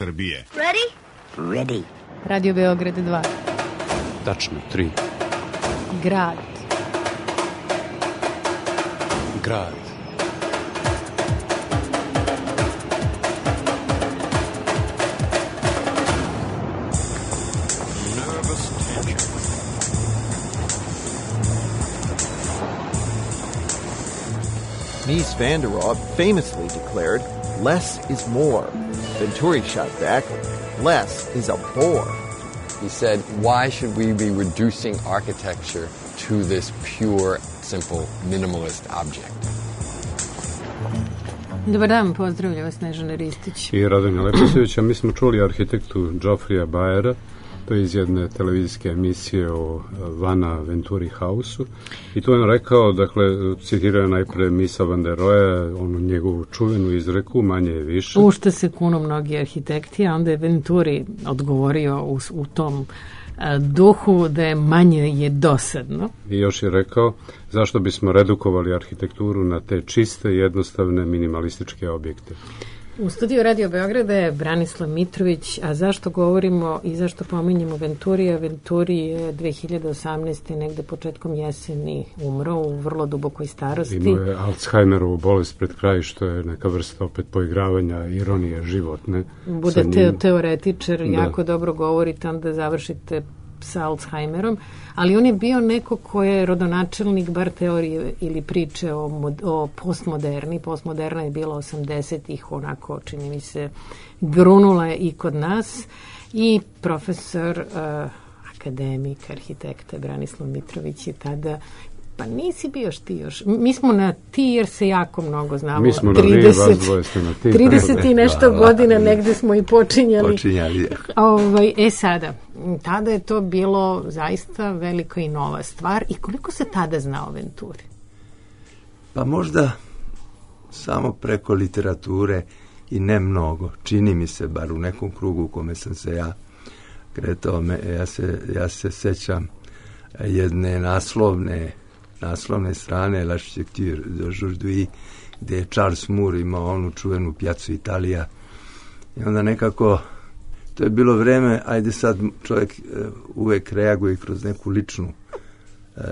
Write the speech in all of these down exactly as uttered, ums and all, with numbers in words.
Srbije. Ready? Ready. Radio Beograd dva. Tačno, tri. Grad. Grad. Mies van der Rohe famously declared, less is more. Venturi shot back, less is a bore. He said, why should we be reducing architecture to this pure, simple, minimalist object? Dobar dan, pozdravlja vas Snežana Ristić. I Radonja Leposevića. Mi smo čuli arhitektu Geoffreya Bayera, to je iz jedne televizijske emisije o Vana Venturi House-u. I tu je on rekao, dakle, citirao je najpre Miesa van der Rohea, onu njegovu čuvenu izreku, manje je više. U što se kunu mnogi arhitekti, a onda je Venturi odgovorio u, u tom a, duhu da je manje je dosadno. I još je rekao, zašto bismo redukovali arhitekturu na te čiste, jednostavne, minimalističke objekte. U studiju Radio Beograda je Branislav Mitrović, a zašto govorimo i zašto pominjemo Venturija? Venturi je dve hiljade osamnaeste. negde početkom jeseni umro u vrlo dubokoj starosti. Imao je Alzheimerovu bolest pred kraj, što je neka vrsta opet poigravanja, ironije životne. Bude te, teoretičar, da. Jako dobro govorite, onda završite sa Alzheimerom, ali on je bio neko ko je rodonačelnik bar teorije ili priče o, mod, o postmoderni. Postmoderna je bila osamdesetih, onako, čini mi se, grunula je i kod nas. I profesor, uh, akademik, arhitekta Branislav Mitrović je tada. Pa nisi bio ti još. Mi smo na ti jer se jako mnogo znamo. Mi smo trideset, na vi, vas dvoje ste na ti. trideset i nešto godina negde smo i počinjali. Počinjali. Ovaj, e sada, tada je to bilo zaista velika i nova stvar. I koliko se tada zna o Venturi? Pa možda samo preko literature i ne mnogo. Čini mi se, bar u nekom krugu u kome sam se ja kretao, me, ja, se, ja se sećam jedne naslovne naslovne strane L'Architecture d'aujourd'hui, gde je Charles Moore imao onu čuvenu Piazzu Italija. I onda nekako, to je bilo vreme, ajde sad čovjek uh, uvek reaguje kroz neku ličnu uh,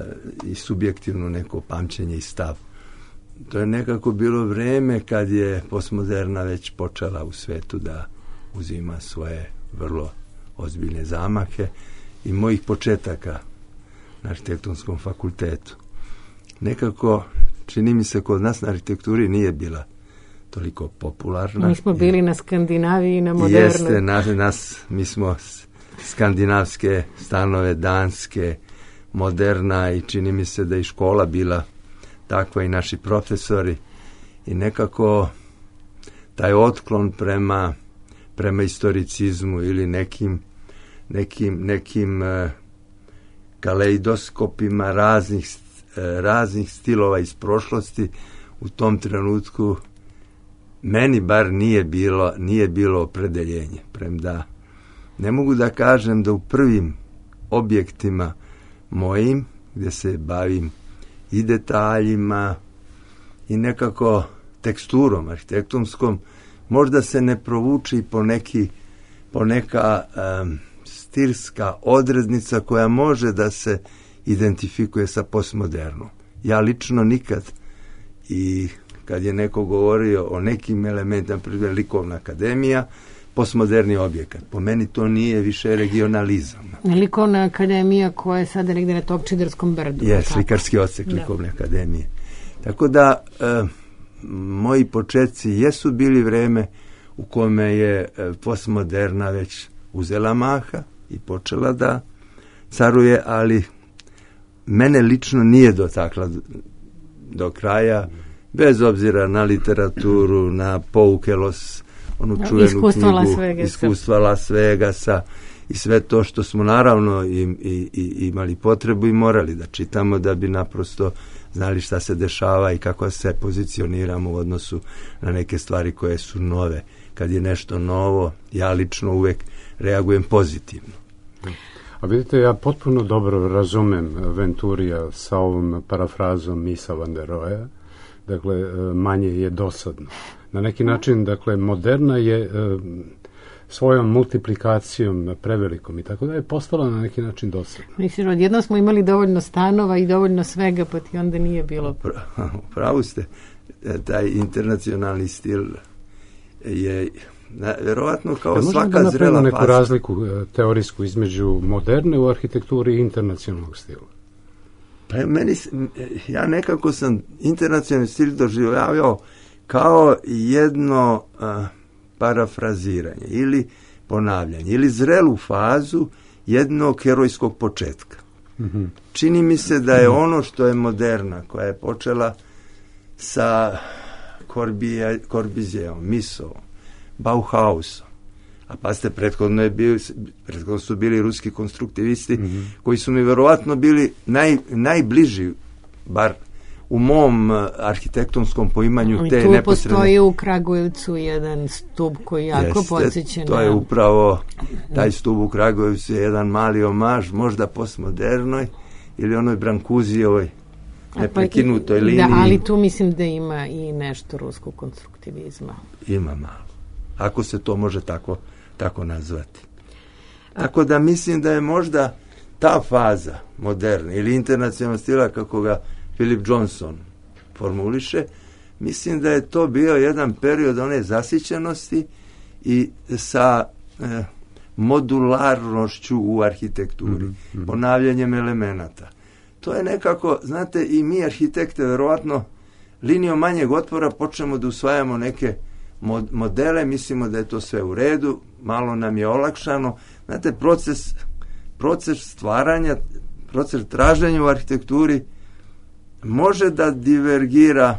i subjektivnu neko pamćenje i stav. To je nekako bilo vreme kad je postmoderna već počela u svetu da uzima svoje vrlo ozbiljne zamahe i mojih početaka na arhitektonskom fakultetu. Nekako, čini mi se, kod nas na arhitekturi nije bila toliko popularna. Mi smo bili na Skandinaviji i na modernoj. Jeste, na, nas, mi smo skandinavske stanove, danske, moderna i čini mi se da je škola bila takva i naši profesori i nekako taj otklon prema, prema historicizmu ili nekim, nekim, nekim uh, kaleidoskopima raznih raznih stilova iz prošlosti u tom trenutku meni bar nije bilo nije bilo opredeljenje. Premda ne mogu da kažem da u prvim objektima mojim gdje se bavim i detaljima i nekako teksturom arhitektonskom možda se ne provuče i po neki po neka um, stilska odrednica koja može da se identifikuje sa postmodernom. Ja lično nikad i kad je neko govorio o nekim elementima, primjer likovna akademija, postmoderni objekat. Po meni to nije više regionalizam. Likovna akademija koja je sada negdje na Topčiderskom brdu. Je, slikarski odsek likovne akademije. Tako da e, moji početci jesu bili vreme u kome je e, postmoderna već uzela maha i počela da caruje, ali mene lično nije dotakla do, do kraja, bez obzira na literaturu, na pouke Los, onu čuvenu iskustva knjigu, Las Vegasa. iskustva Las Vegasa i sve to što smo naravno i, i, i imali potrebu i morali da čitamo da bi naprosto znali šta se dešava i kako se pozicioniramo u odnosu na neke stvari koje su nove. Kad je nešto novo, ja lično uvek reagujem pozitivno. A vidite, ja potpuno dobro razumem Venturija sa ovom parafrazom Miesa van der Rohea. Dakle, manje je dosadno. Na neki način, dakle, moderna je svojom multiplikacijom prevelikom i tako da je postala na neki način dosadno. Mislim, odjednom smo imali dovoljno stanova i dovoljno svega, pa ti onda nije bilo... Pravu ste, taj internacionalni stil je na, verovatno kao ja, svaka da zrela neku faza. Razliku teorijsku između moderne u arhitekturi i internacionalnog stila. Pa meni, ja nekako sam internacionalni stil doživljavao kao jedno uh, parafraziranje ili ponavljanje ili zrelu fazu jednog herojskog početka. Mm-hmm. Čini mi se da je ono što je moderna, koja je počela sa Corbusijeom, Misovom, Bauhausom, a pa ste prethodno, je bio, prethodno su bili ruski konstruktivisti, mm-hmm. koji su mi verovatno bili naj, najbliži, bar u mom arhitektonskom poimanju ali te tu neposredne... postoji u Kragujevcu jedan stub koji jako podsjeća na... To je upravo, taj stub u Kragujevcu je jedan mali omaž, možda postmodernoj ili onoj Brankuzijevoj neprekinutoj pa, liniji. Da, ali tu mislim da ima i nešto ruskog konstruktivizma. Ima malo. Ako se to može tako, tako nazvati. Tako da mislim da je možda ta faza moderna ili internacionalnog stila, kako ga Philip Johnson formuliše, mislim da je to bio jedan period one zasićenosti i sa eh, modularnošću u arhitekturi, mm-hmm. ponavljanjem elemenata. To je nekako, znate, i mi arhitekte verovatno linijom manjeg otpora počnemo da usvajamo neke mod- modele, mislimo da je to sve u redu, malo nam je olakšano. Znate, proces, proces stvaranja, proces traženja u arhitekturi može da divergira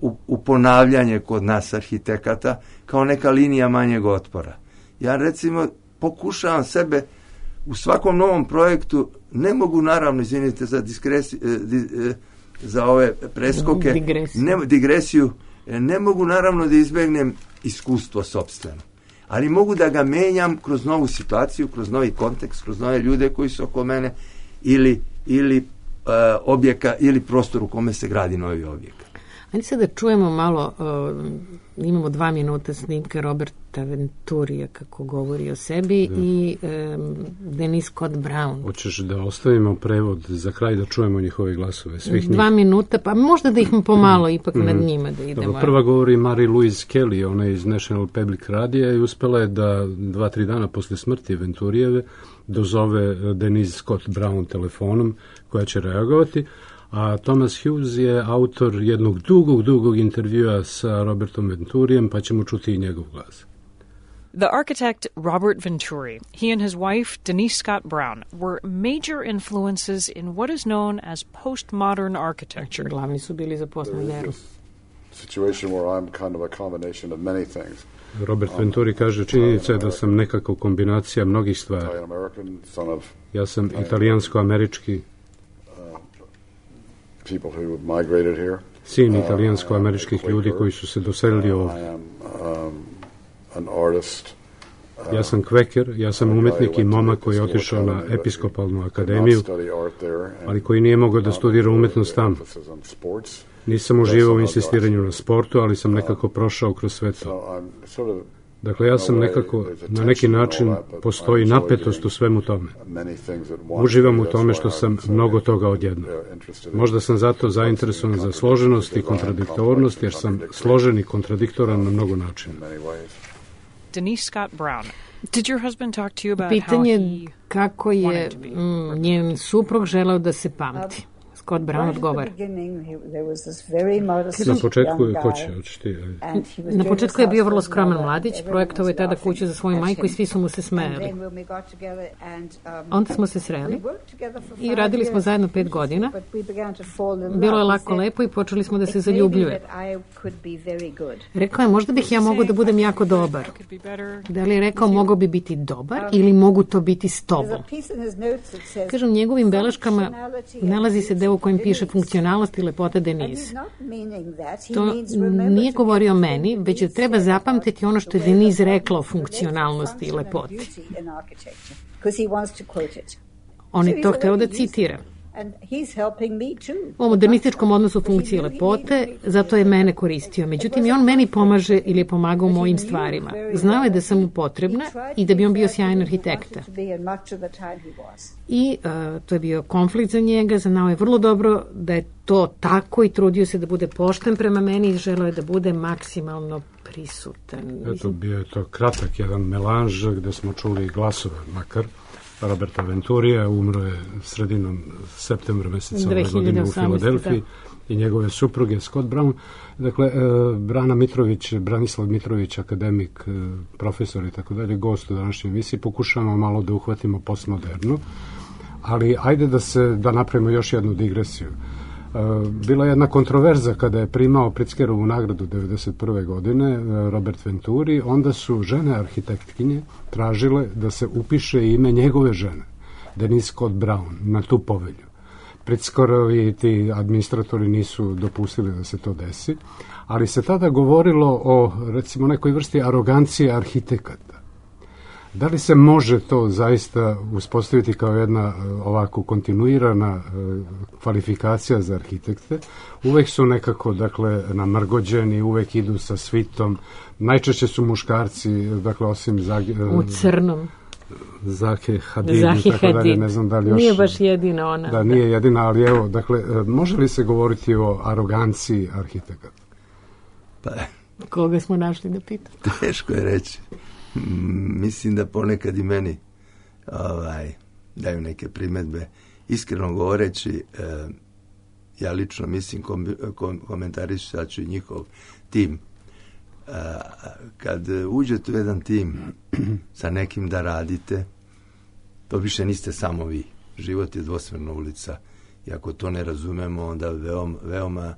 u, u ponavljanje kod nas arhitekata kao neka linija manjeg otpora. Ja recimo pokušavam sebe u svakom novom projektu, ne mogu naravno, izvinite za diskresi, di, za ove preskoke, digresiju. Ne, digresiju, ne mogu naravno da izbegnem iskustvo sopstveno, ali mogu da ga menjam kroz novu situaciju, kroz novi kontekst, kroz nove ljude koji su oko mene ili, ili uh, objeka ili prostor u kome se gradi novi objekat. Ajde sad da čujemo malo, uh, imamo dva minuta snimke Roberta Venturija kako govori o sebi da. i um, Denise Scott Brown. Hoćeš da ostavimo prevod za kraj da čujemo njihove glasove? Svih dva njih. Minuta, pa možda da ih pomalo ipak mm. nad njima da idemo. Dobro, prva govori Marie-Louise Kelly, ona je iz National Public Radija i uspela je da dva, tri dana posle smrti Venturijeve dozove Denise Scott Brown telefonom koja će reagovati. A Thomas Hughes je autor jednog dugog, dugog intervjua sa Robertom Venturijem, pa ćemo čuti i njegov glas. The architect Robert Venturi, he and his wife Denise Scott Brown were major influences in what is known as postmodern architecture. Glavni su bili za postmodernu. Situation where I'm kind of a combination of many things. Robert Venturi kaže, činjenica je da sam nekako kombinacija mnogih stvari. Ja sam italijansko-američki people who migrated here. Sin italijansko-američkih uh, ljudi koji su se doselili ovdje. I am um, an artist. Uh, ja sam kveker, ja sam umetnik i momak koji je otišao na episkopalnu akademiju, ali koji nije mogao da studira umetnost tamo. Nisam uživao u insistiranju na sportu, ali sam nekako prošao kroz sve to. Dakle, ja sam nekako, na neki način, postoji napetost u svemu tome. Uživam u tome što sam mnogo toga odjedno. Možda sam zato zainteresovan za složenost i kontradiktornost, jer sam složen i kontradiktoran na mnogo načina. Denise Scott Brown. Did your husband talk to you about Pitanje how he kako je mm, njen suprug želeo da se pamti. Scott Brown odgovara. Na početku je, ko će, očiti, Na početku je bio vrlo skroman mladić, projektovao je tada kuću za svoju majku i svi su mu se smejali. Onda smo se sreli i radili smo zajedno pet godina. Bilo je lako lepo i počeli smo da se zaljubljuje. Rekao je, možda bih ja mogao da budem jako dobar. Da li je rekao, mogao bi biti dobar ili mogu to biti s tobom? Kažem, njegovim beleškama nalazi se deo u kojem piše funkcionalnost i lepota Denise. To nije govorio meni, već da treba zapamtiti ono što je Denise rekla o funkcionalnosti i lepoti. On je to hteo da citira. O modernističkom odnosu funkcije lepote, zato je mene koristio. Međutim, i on meni pomaže ili je pomagao u mojim stvarima. Znao je da sam mu potrebna i da bi on bio sjajan arhitekta. I uh, to je bio konflikt za njega, znao je vrlo dobro da je to tako i trudio se da bude pošten prema meni i želeo je da bude maksimalno prisutan. Eto, bio je to kratak jedan melanž gde smo čuli glasove makar Roberta Venturija, umro je sredinom septembra meseca ove godine u Filadelfiji, i njegove supruge Scott Brown. Dakle, e, Brana Mitrović, Branislav Mitrović, akademik, e, profesor i tako dalje, gost u današnjoj emisiji, pokušamo malo da uhvatimo postmodernu, ali ajde da se da napravimo još jednu digresiju. Bila je jedna kontroverza kada je primao Pritzkerovu nagradu devedeset prve godine Robert Venturi, onda su žene arhitektkinje tražile da se upiše ime njegove žene, Denise Scott Brown, na tu povelju. Pritzkerovi ti administratori nisu dopustili da se to desi, ali se tada govorilo o, recimo, nekoj vrsti arogancije arhitekata. Da li se može to zaista uspostaviti kao jedna ovako kontinuirana kvalifikacija za arhitekte? Uvek su nekako, dakle, namrgođeni, uvek idu sa svitom. Najčešće su muškarci, dakle, osim Zage, u crnom. Zake Hadid, Zahi tako dalje, ne znam da li još... Nije baš jedina ona. Da, nije jedina, ali evo, dakle, može li se govoriti o aroganciji arhitekata? Pa... Koga smo našli da pita? Teško je reći. Mislim da ponekad i meni ovaj, daju neke primedbe. Iskreno govoreći, eh, ja lično mislim, kom, kom, komentarišat ću njihov tim. Eh, kad uđete u jedan tim sa nekim da radite, to više niste samo vi. Život je dvosmerna ulica. I ako to ne razumemo, onda veoma, veoma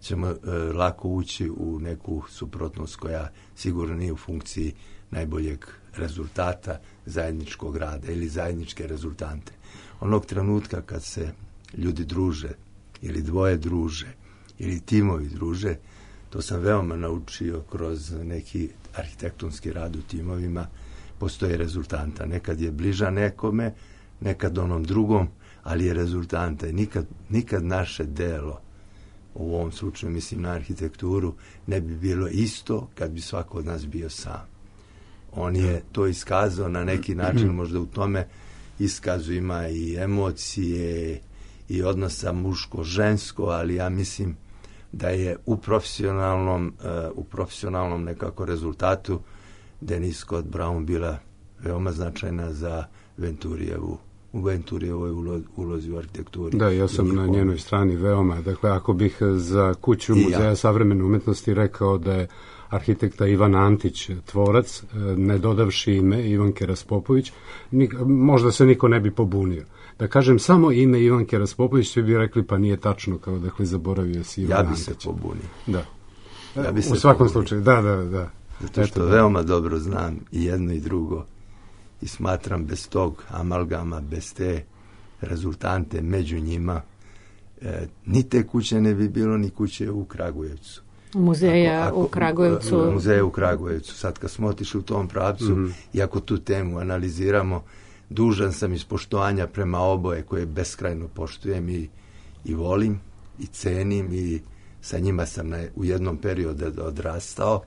ćemo eh, lako ući u neku suprotnost koja sigurno nije u funkciji najboljeg rezultata zajedničkog rada ili zajedničke rezultante. Onog trenutka kad se ljudi druže ili dvoje druže ili timovi druže, to sam veoma naučio kroz neki arhitektonski rad u timovima, postoje rezultanta. Nekad je bliža nekome, nekad onom drugom, ali je rezultanta. I nikad, nikad naše delo, u ovom slučaju mislim na arhitekturu, ne bi bilo isto kad bi svako od nas bio sam. On je to iskazao na neki način, možda u tome iskazu ima i emocije i odnosa muško-žensko, ali ja mislim da je u profesionalnom, uh, u profesionalnom nekako rezultatu Denise Scott Brown bila veoma značajna za Venturijevu, u Venturijevoj ulozi u arhitekturi. Da, ja sam na njenoj strani veoma. Dakle, ako bih za kuću Muzeja ja. savremene umetnosti rekao da je arhitekta Ivan Antić tvorac, ne dodavši ime Ivanke Raspopović, nik, možda se niko ne bi pobunio. Da kažem samo ime Ivanke Raspopović, svi bi rekli pa nije tačno, kao dakle zaboravio si Ivan Antić. Ja bi se pobunio. Da. Ja bi se u svakom pobunio. slučaju, da, da, da. Zato što Eto, veoma dobro znam i jedno i drugo i smatram bez tog amalgama, bez te rezultante među njima, e, ni te kuće ne bi bilo, ni kuće u Kragujevcu. Muzeja ako, ako, u Kragujevcu. Muzeja u Kragujevcu. Sad kad smo otišli u tom pravcu, mm-hmm. i ako tu temu analiziramo, dužan sam iz poštovanja prema oboje koje beskrajno poštujem i, i volim i cenim i sa njima sam na, u jednom periodu odrastao.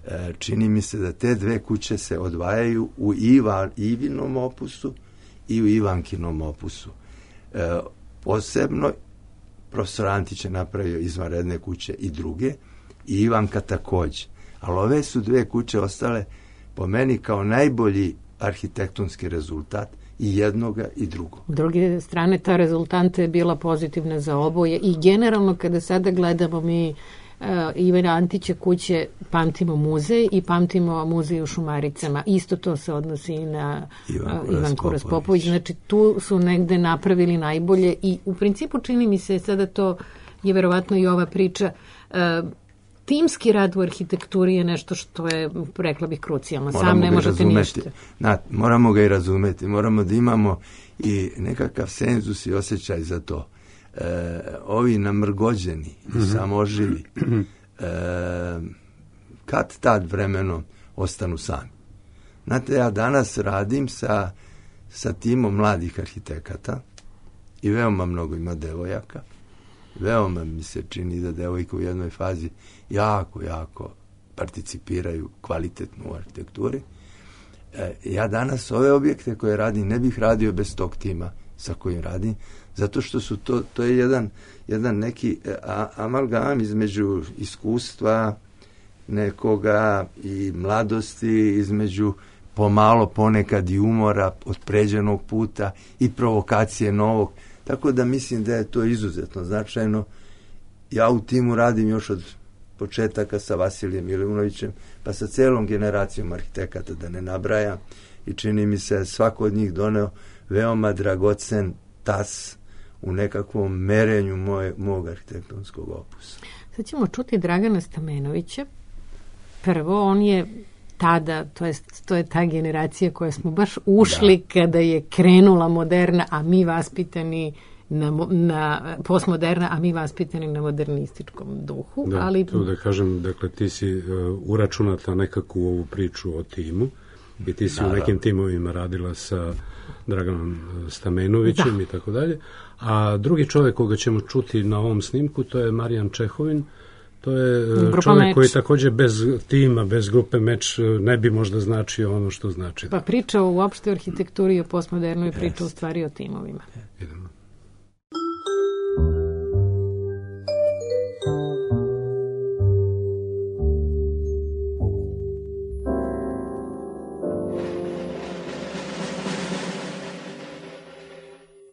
E, čini mi se da te dve kuće se odvajaju u Iva, Ivinom opusu i u Ivankinom opusu. E, posebno profesor Antić je napravio izvanredne kuće i druge, i Ivanka takođe. Ali ove su dve kuće ostale po meni kao najbolji arhitektonski rezultat i jednoga i drugog. S druge strane, ta rezultanta je bila pozitivna za oboje i generalno kada sada gledamo mi uh, Ivana Antića kuće, pamtimo muzej i pamtimo muzej u Šumaricama. Isto to se odnosi i na Ivanku uh, Ivanku Raspopović. Znači, tu su negde napravili najbolje i u principu čini mi se sada to je verovatno i ova priča. Uh, timski rad u arhitekturi je nešto što je, rekla bih, krucijalno. Sam ne možete ništa. Na, moramo ga i razumeti. Moramo da imamo i nekakav senzus i osjećaj za to. E, ovi namrgođeni, mm-hmm. samoživi, e, kad tad vremenom ostanu sami. Znate, ja danas radim sa, sa timom mladih arhitekata i veoma mnogo ima devojaka. Veoma mi se čini da devojke u jednoj fazi jako, jako participiraju kvalitetno u arhitekturi. E, ja danas ove objekte koje radim ne bih radio bez tog tima sa kojim radim, zato što su to, to je jedan, jedan neki a, amalgam između iskustva nekoga i mladosti, između pomalo ponekad i umora od pređenog puta i provokacije novog. Tako da mislim da je to izuzetno značajno. Ja u timu radim još od početaka sa Vasilijem Miliunovićem, pa sa celom generacijom arhitekata, da ne nabrajam, i čini mi se svako od njih doneo veoma dragocen tas u nekakvom merenju moje, mog arhitektonskog opusa. Sad ćemo čuti Dragana Stamenovića. Prvo, on je tada, to je, to je ta generacija koja smo baš ušli da. Kada je krenula moderna, a mi vaspitani na, na postmoderna, a mi vaspitani na modernističkom duhu. Da, ali... to da kažem, dakle, ti si uh, uračunata nekako u ovu priču o timu i ti si da, u nekim da. timovima radila sa Draganom Stamenovićem da. i tako dalje. A drugi čovjek koga ćemo čuti na ovom snimku, to je Marijan Čehovin. To je Grupa čovjek Meč. Koji također bez tima, bez grupe Meč ne bi možda značio ono što znači. Pa priča uopšte o arhitekturi i o postmodernoj, priča u stvari o timovima. Idemo.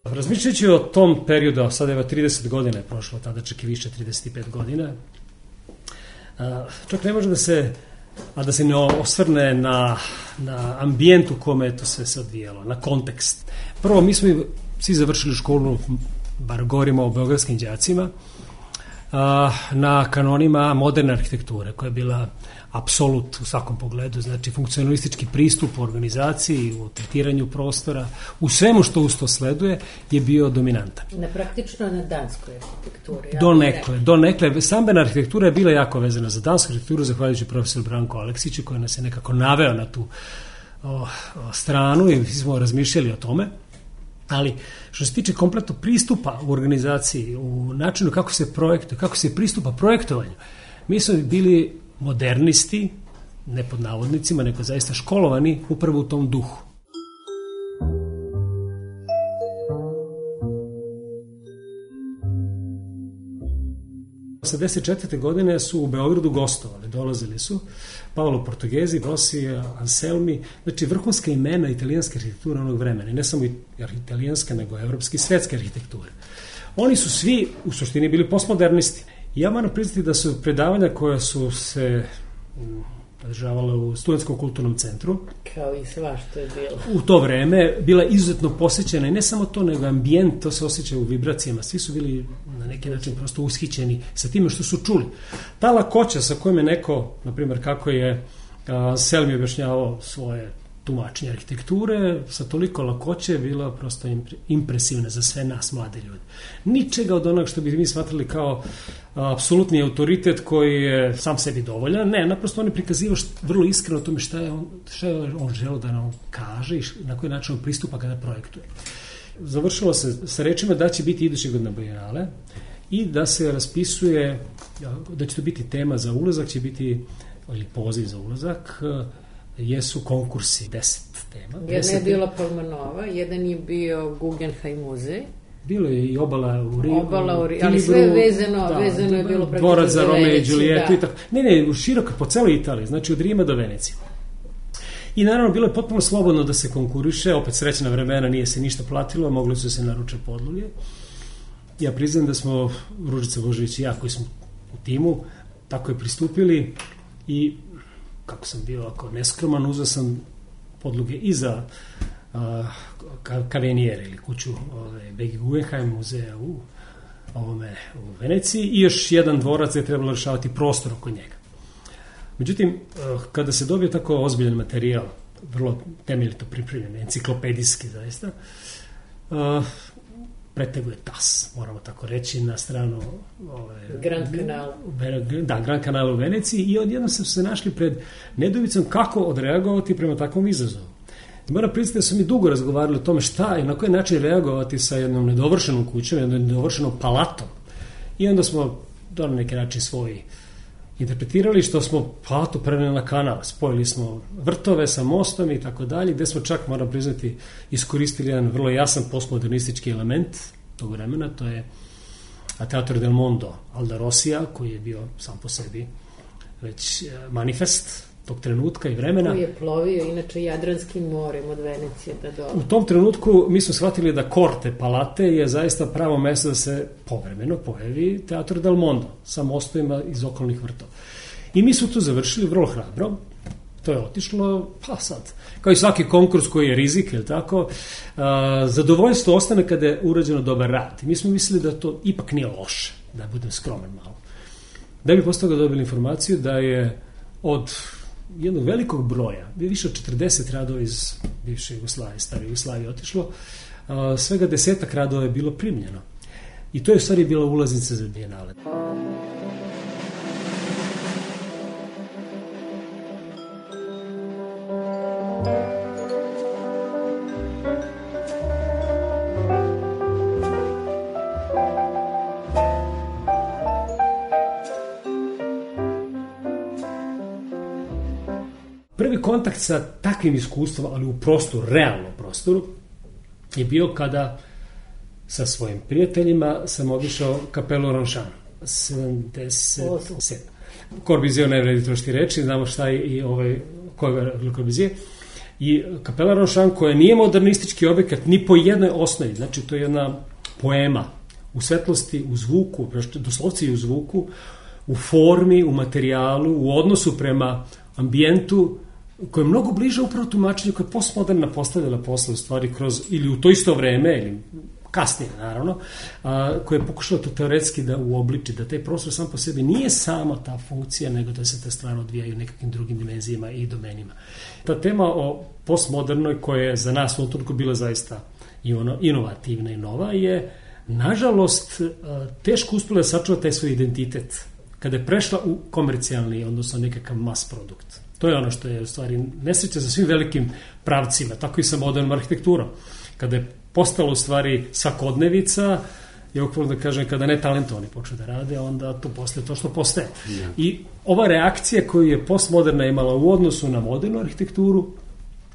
Razmišljajući o tom periodu, a sada je trideset godina je prošlo, tada čak i više, trideset pet godina, čak ne može da se, a da se ne osvrne na, na ambijent u kome je to sve se odvijalo, na kontekst. Prvo, mi smo svi završili školu, bar govorimo o beogradskim đacima, na kanonima moderne arhitekture, koja je bila apsolut u svakom pogledu, znači funkcionalistički pristup u organizaciji, u tretiranju prostora, u svemu što uz to sleduje je bio dominantan. Na praktično na danskoj arhitekturi. Donekle, donekle. Stambena arhitektura je bila jako vezana za dansku arhitekturu, zahvaljujući profesoru Branku Aleksiću, koji nas je nekako naveo na tu o, o, stranu i smo razmišljali o tome. Ali što se tiče kompletnog pristupa u organizaciji, u načinu kako se projektuje, kako se pristupa projektovanju, mi smo bili modernisti, ne pod navodnicima, nego zaista školovani upravo u tom duhu. osamdeset četvrte godine su u Beogradu gostovali, dolazili su Paolo Portugezi, Rossi, Anselmi, znači vrhunska imena italijanske arhitekture onog vremena, i ne samo italijanske, nego evropske i svetske arhitekture. Oni su svi u suštini bili postmodernisti. Ja moram priznati da su predavanja koja su se održavala u Studentskom kulturnom centru, kao i sva što je bilo u to vreme, bila izuzetno posjećena, i ne samo to, nego ambijent, to se osjeća u vibracijama, svi su bili na neki način prosto ushićeni sa time što su čuli. Ta lakoća sa kojom je neko, na primjer kako je Selmi objašnjavao svoje tumačenje arhitekture, sa toliko lakoće je bila prosto impresivna za sve nas mlade ljude. Ničega od onog što bi mi smatrali kao apsolutni autoritet koji je sam sebi dovoljan, ne, naprosto on je prikazivao vrlo iskreno o tome šta je on, šta je on želeo da nam kaže i na koji način on pristupa kada projektuje. Završilo se sa rečima da će biti iduće godine Bijenale i da se raspisuje, da će to biti tema za ulazak, će biti, ili poziv za ulazak, jesu konkursi, deset tema. Jedan je bilo Palmanova, jedan je bio Guggenheim muzej. Bilo je i obala u Rimu, obala u Rimu, ali sve je vezano, da, vezano je bilo praktično dvorac za Romeo i Džulijetu i tako. Ne, ne, široko, po celoj Italiji, znači od Rima do Venecije. I naravno bilo je potpuno slobodno da se konkuriše, opet srećna vremena, nije se ništa platilo, mogli su se naruče podloge. Ja priznam da smo, Ružica Božović i ja, koji smo u timu, tako je pristupili i kako sam bio ako neskroman, uzeo sam podloge i za Caveniere ili kuću Begi Guggenheim muzeja u, ovome, u Veneciji i još jedan dvorac je trebalo rešavati prostor oko njega. Međutim, kada se dobije tako ozbiljan materijal, vrlo temeljito pripremljen, enciklopedijski zaista, preteguje tas, moramo tako reći, na stranu ove, Grand Canal. Da, Grand Canal u Veneciji, i odjednom smo se našli pred nedovicom kako odreagovati prema takvom izazovu. I moram priznati da su mi dugo razgovarali o tome šta i na koji način reagovati sa jednom nedovršenom kućom, jednom nedovršenom palatom. I onda smo to na neki način svoji interpretirali, što smo palatu preneli na kanal. Spojili smo vrtove sa mostom i tako dalje, gde smo čak, moram priznati, iskoristili jedan vrlo jasan postmodernistički element tog vremena, to je Teatro del Mondo Alda Rosija, koji je bio sam po sebi već manifest tog trenutka i vremena. Koji je plovio inače Jadranskim morem od Venecije da dole. U tom trenutku mi smo shvatili da korte palate je zaista pravo mesto da se povremeno pojavi Teatro del Mondo sa mostovima iz okolnih vrtova. I mi smo tu završili vrlo hrabro. To je otišlo, pa sad, kao i svaki konkurs koji je rizik, je li tako, a, zadovoljstvo ostane kada je urađeno dobar rad. I mi smo mislili da to ipak nije loše, da budem skroman malo. Da bi posle toga dobili informaciju da je od jednog velikog broja, više od četrdeset radova iz bivše Jugoslavije, stare Jugoslavije otišlo, a, svega desetak radova je bilo primljeno. I to je u stvari bila ulaznica za Bijenale. Prvi kontakt sa takvim iskustvom, ali u prostoru, realnom prostoru, je bio kada sa svojim prijateljima sam obišao kapelu Ronšan, sedamdeset sedam. Corbusier ne vredi trošiti reči, znamo šta je i ovaj, ko je Corbusier. I kapela Ronšan, koja nije modernistički objekat ni po jednoj osnovi, znači to je jedna poema u svetlosti, u zvuku, doslovci i u zvuku, u formi, u materijalu, u odnosu prema ambijentu, koje je mnogo bliže upravo tumačenju koje je postmoderna postavila posle u stvari kroz, ili u to isto vreme, ili kasnije naravno, a, koje je pokušala to teoretski da uobliči, da taj prostor sam po sebi nije samo ta funkcija, nego da se te stvari odvijaju u nekakvim drugim dimenzijama i domenima. Ta tema o postmodernoj, koja je za nas u trenutku bila zaista i ono, inovativna i nova, je nažalost teško uspela da sačuva taj svoj identitet kada je prešla u komercijalni, odnosno nekakav mas produkt. To je ono što je u stvari nesreća za svim velikim pravcima, tako i sa modernom arhitekturom. Kada je postalo u stvari svakodnevica, ja ukvarno da kažem, kada ne talentovani počne da rade, onda to postaje to što postaje. Yeah. I ova reakcija koju je postmoderna imala u odnosu na modernu arhitekturu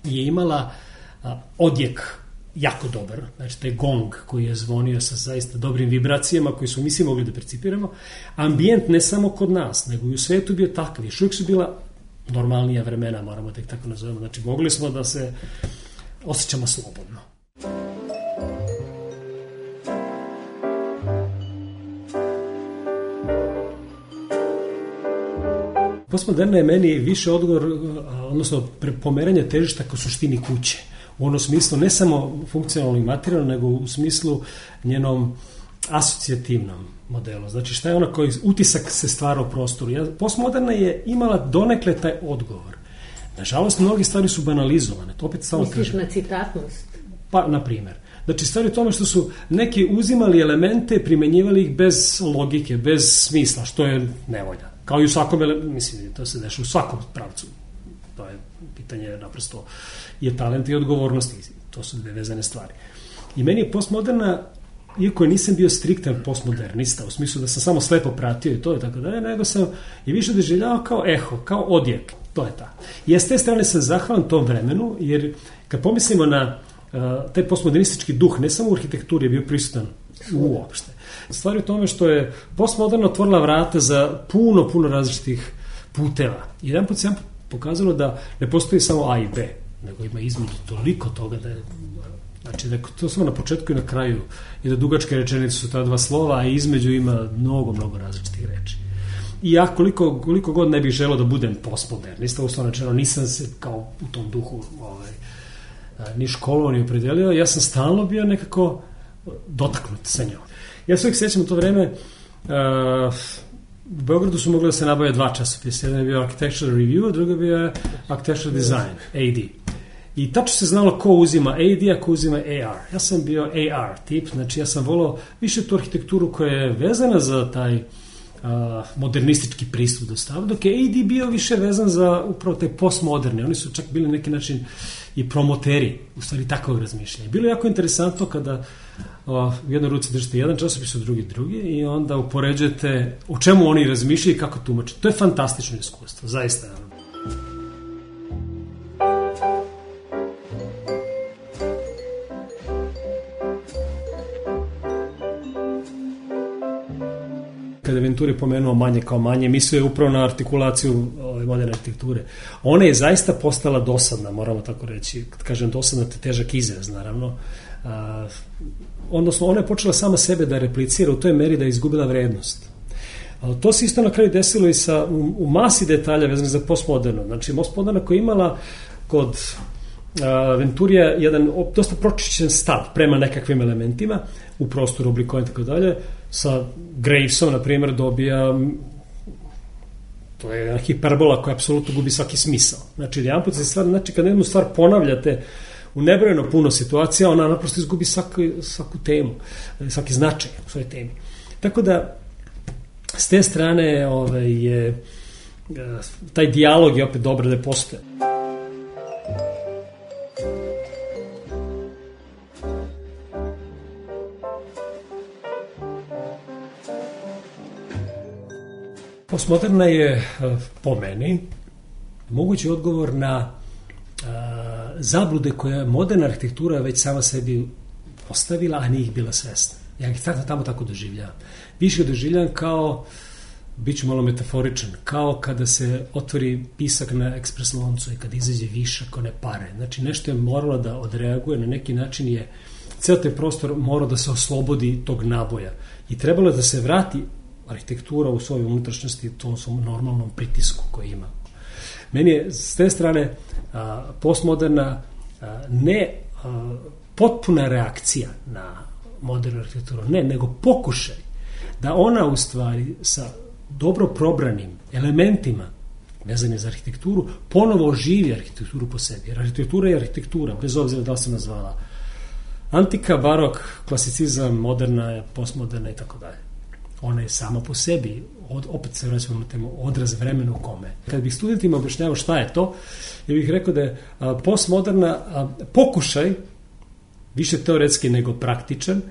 je imala a, odjek jako dobar, znači taj gong koji je zvonio sa zaista dobrim vibracijama koji su mi svi mogli da percipiramo. Ambijent ne samo kod nas, nego i u svetu bio takav. Još uvijek su bila normalnija vremena, moramo da ih tako nazovemo. Znači, mogli smo da se osjećamo slobodno. Postmoderna je meni više odgovor, odnosno pomeranje težišta ka suštini kuće. U onom smislu, ne samo funkcionalno i materijalno, nego u smislu njenom asocijativnom modelu. Znači, šta je ona koji utisak se stvara u prostoru. Ja, postmoderna je imala donekle taj odgovor. Nažalost, mnogi stvari su banalizovane. To opet stalo Misliš na citatnost? Pa, na primjer. Znači, stvari u tome što su neki uzimali elemente, primenjivali ih bez logike, bez smisla, što je nevolja. Kao i u svakom, mislim, to se deša u svakom pravcu. To je pitanje, naprosto, je talent i odgovornosti. To su dve vezane stvari. I meni je postmoderna, iako nisam bio striktan postmodernista, u smislu da sam samo slepo pratio i to je tako da je, nego sam je više doživljavao kao eho, kao odjek. To je ta. I s te strane sam zahvalan tom vremenu, jer kad pomislimo na uh, taj postmodernistički duh, ne samo u arhitekturi je bio prisutan uopšte. Stvari u tome što je postmoderno otvorila vrata za puno, puno različitih puteva. Jedan put sam pokazalo da ne postoji samo A i B, nego ima između toliko toga da je, znači da je to samo na početku i na kraju i da dugačke rečenice su ta dva slova, a između ima mnogo, mnogo različitih reči. I ja koliko, koliko god ne bih želeo da budem postmodernista, uslovno rečeno nisam se kao u tom duhu ovaj, ni školovao, ni opredelio, ja sam stalno bio nekako dotaknut sa njom. Ja se uvijek sjećam u to vreme, uh, u Beogradu su mogli da se nabavaju dva časopisa, jedan je bio Architectural Review, a drugi je bio Architectural Design, A D. I tačno se znalo ko uzima A D, a ko uzima A R. Ja sam bio A R tip, znači ja sam volao više tu arhitekturu koja je vezana za taj a, modernistički pristup do stava, dok je A D bio više vezan za upravo taj postmoderni. Oni su čak bili na neki način i promoteri, u stvari takvog razmišljanja. Bilo je jako interesantno kada o, u jednoj ruci držite jedan časopis, u drugi drugi i onda upoređujete o čemu oni razmišljaju i kako tumače. To je fantastično iskustvo, zaista. Kada je Venturi pomenuo manje kao manje, mislio je upravo na artikulaciju ove moderne arhitekture. Ona je zaista postala dosadna, moramo tako reći. Kad kažem dosadna, to je težak izraz, naravno. A, odnosno, ona je počela sama sebe da replicira u toj meri da je izgubila vrednost. A, to se isto na kraju desilo i sa, u, u masi detalja vezanih za postmoderno. Znači, postmoderna koja je imala kod a, Venturija jedan dosta pročišćen stav prema nekakvim elementima u prostoru, oblikovanja i tako dalje. Sa Gravesom, na primjer, dobija, to je jedna hiperbola koja apsolutno gubi svaki smisao. Znači, jedan put se stvar, znači, kad jednu stvar ponavljate u nebrojeno puno situacija, ona naprosto izgubi svaku, svaku temu, svaki značaj u svojoj temi. Tako da, s te strane, ovaj, je, taj dijalog je opet dobro da je postoje. Postmoderna je, po meni, mogući odgovor na a, zablude koje moderna arhitektura već sama sebi postavila, a nije ih bila svesna. Ja ih tamo, tamo tako doživljavam. Više doživljavam kao, bit ću malo metaforičan, kao kada se otvori pisak na ekspres loncu i kada izađe višak one pare. Znači, nešto je moralo da odreaguje, na neki način je ceo taj prostor morao da se oslobodi tog naboja. I trebalo je da se vrati arhitektura u svojoj unutrašnjosti, tom svom normalnom pritisku koji ima. Meni je s te strane a, postmoderna a, ne a, potpuna reakcija na modernu arhitekturu, ne, nego pokušaj da ona u stvari sa dobro probranim elementima vezane za arhitekturu ponovo oživi arhitekturu po sebi. Jer arhitektura je arhitektura, bez obzira da li se nazvala antika, barok, klasicizam, moderna, postmoderna i tako dalje. Ona je sama po sebi, od, opet se vraćamo na temu, odraz vremena u kome. Kad bih studentima objašnjavao šta je to, ja bih rekao da je a, postmoderna a, pokušaj, više teoretski nego praktičan,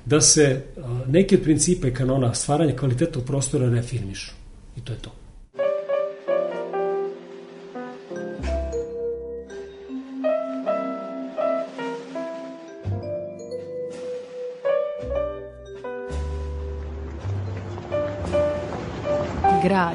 da se a, neki od principa i kanona stvaranja kvalitetnog prostora reafirmišu. I to je to. Grad.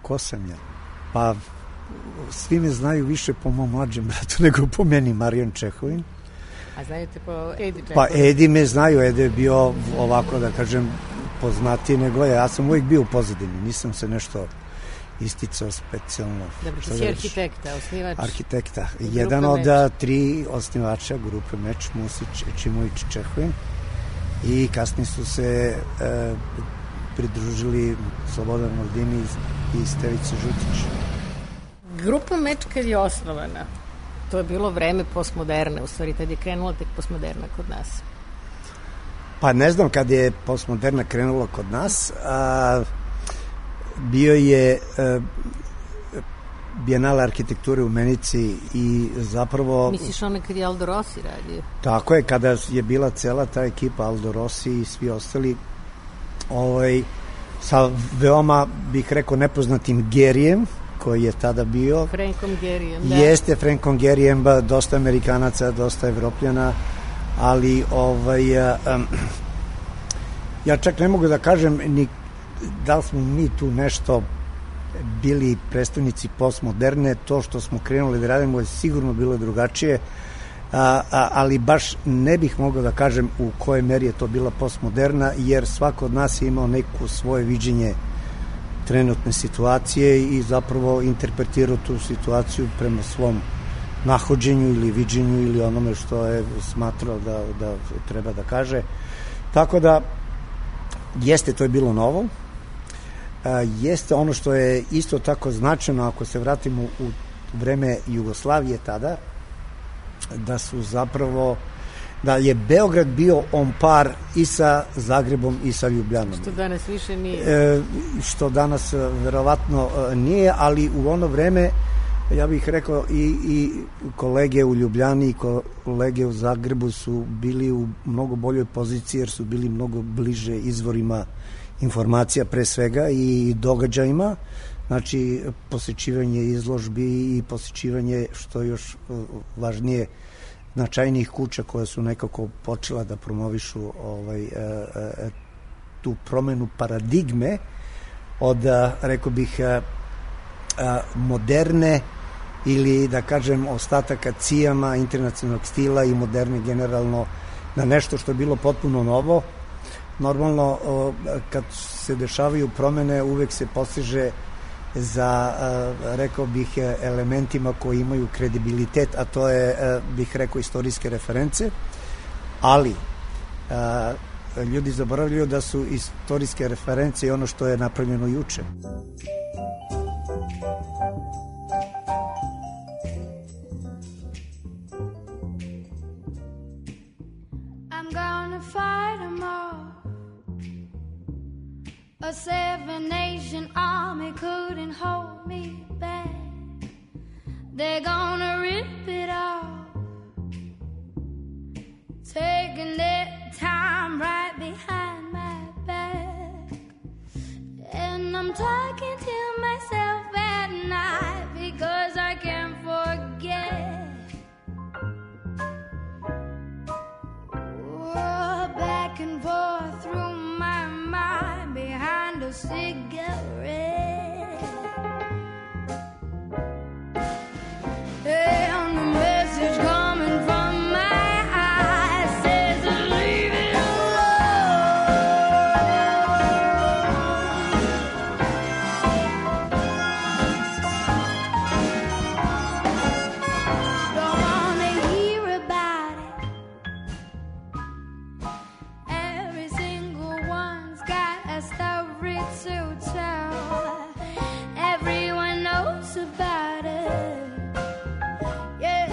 Ko sam ja? Pa, svi me znaju više po mom mlađem bratu nego po meni, Marijan Čehovin. A znaju te po Edi Čehovin? Pa, Edi me znaju, Edi je bio ovako, da kažem, poznatiji nego ja. Ja sam uvijek bio u pozadini, nisam se nešto isticao specijalno. Dobro, ti si arhitekta, osnivač? Arhitekta. Jedan od Meč. tri osnivača grupe Meč, Musić, Ečimović, Čehovin. I kasnije su se e, pridružili Slobodan Maldini i Stevica Žutić. Grupa Meč kad je osnovana, to je bilo vreme postmoderne, u stvari tad je krenula tek postmoderna kod nas. Pa ne znam kad je postmoderna krenula kod nas, a, bio je a, Bijenale arhitekture u Menici i zapravo... Misliš ono kad je Aldo Rossi radio? Tako je, kada je bila cela ta ekipa, Aldo Rossi i svi ostali, ovaj, sa veoma, bih rekao, nepoznatim Gerijem, koji je tada bio. Frankom Gerijem, da. Jeste, Frankom Gerijem, dosta Amerikanaca, dosta Evropljana, ali ovaj, um, ja čak ne mogu da kažem ni da li smo mi tu nešto bili predstavnici postmoderne, to što smo krenuli da radimo je sigurno bilo drugačije, a, a, ali baš ne bih mogao da kažem u kojoj meri je to bila postmoderna, jer svako od nas je imao neko svoje viđenje trenutne situacije i zapravo interpretirao tu situaciju prema svom nahođenju ili viđenju ili onome što je smatrao da, da treba da kaže. Tako da, jeste, to je bilo novo. A, jeste ono što je isto tako značajno, ako se vratimo u vreme Jugoslavije tada, da su zapravo, da je Beograd bio on par i sa Zagrebom i sa Ljubljanom. Što danas više nije. E, što danas verovatno nije, ali u ono vreme, ja bih rekao, i, i kolege u Ljubljani i kolege u Zagrebu su bili u mnogo boljoj poziciji, jer su bili mnogo bliže izvorima informacija pre svega i događajima, znači posjećivanje izložbi i posjećivanje, što još važnije, značajnijih kuća koje su nekako počela da promovišu ovaj, e, e, tu promenu paradigme od, rekao bih, e, moderne ili da kažem ostataka cijama internacionalnog stila i moderne generalno na nešto što je bilo potpuno novo. Normalno, kad se dešavaju promene, uvek se postiže za, rekao bih, elementima koji imaju kredibilitet, a to je, bih rekao, istorijske reference, ali ljudi zaboravljaju da su istorijske reference i ono što je napravljeno juče. A seven-nation army couldn't hold me back. They're gonna rip it off, taking their time right behind my back. And I'm talking to myself at night because I can't forget. Oh, back and forth through my mind behind a cigarette. And the message coming from my eyes says leave it Don't wanna hear about it. Every single one's got a story to tell. Everyone knows about it. Yeah,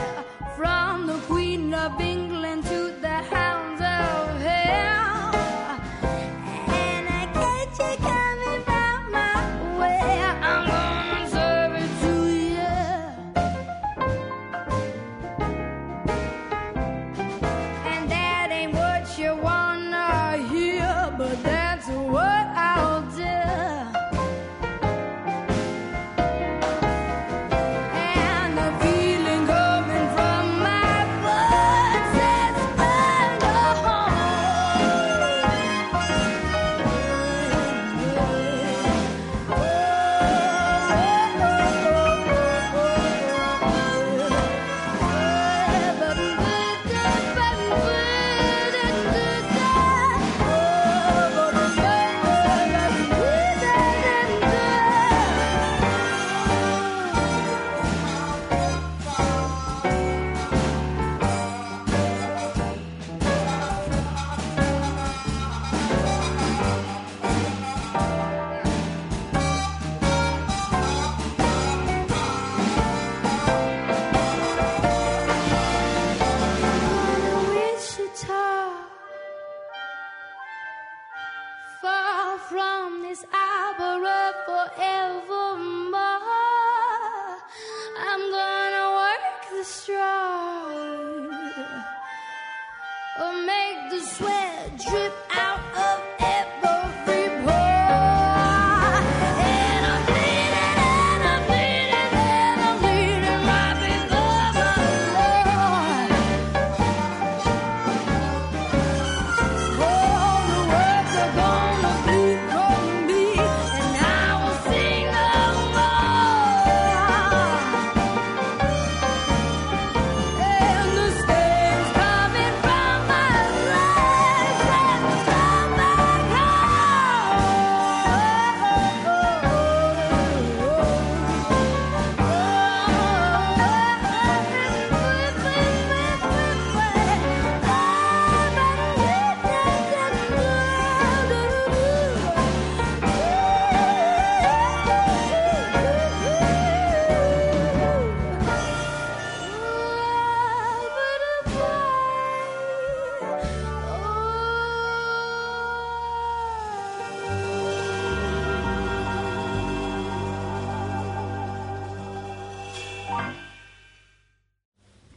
from the Queen of England to the hounds of hell. And I catch you coming from my way. I'm gonna serve it to you. And that ain't what you wanna hear, but that's what I'll do. And the feeling coming from my blood says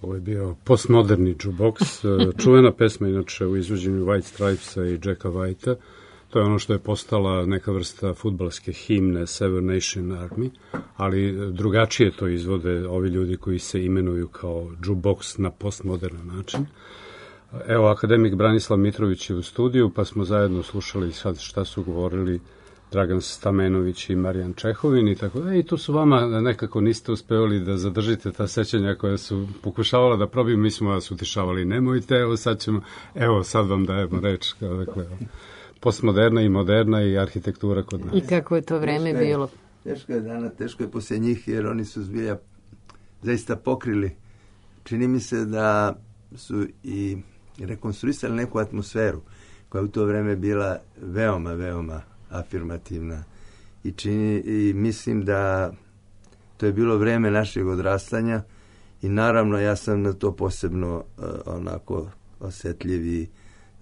Ovo je bio postmoderni jukebox, čuvena pesma inače u izvođenju White Stripesa i Jacka Whitea. To je ono što je postala neka vrsta fudbalske himne Seven Nation Army, ali drugačije to izvode ovi ljudi koji se imenuju kao jukebox na postmodernan način. Evo, akademik Branislav Mitrović je u studiju, pa smo zajedno slušali sad šta su govorili Dragan Stamenović i Marijan Čehovin i tako da. I tu su vama nekako niste uspevali da zadržite ta sećanja koja su pokušavala da probiju, mi smo vas utišavali, nemojte, evo sad ćemo, evo sad vam dajemo reč, dakle, postmoderna i moderna i arhitektura kod nas. I kako je to vreme teško je, bilo? Teško je dana, teško je poslije njih, jer oni su zbilja zaista pokrili. Čini mi se da su i rekonstruisali neku atmosferu koja je u to vreme bila veoma, veoma afirmativna i čini i mislim da to je bilo vreme našeg odrastanja i naravno ja sam na to posebno uh, onako osjetljiv i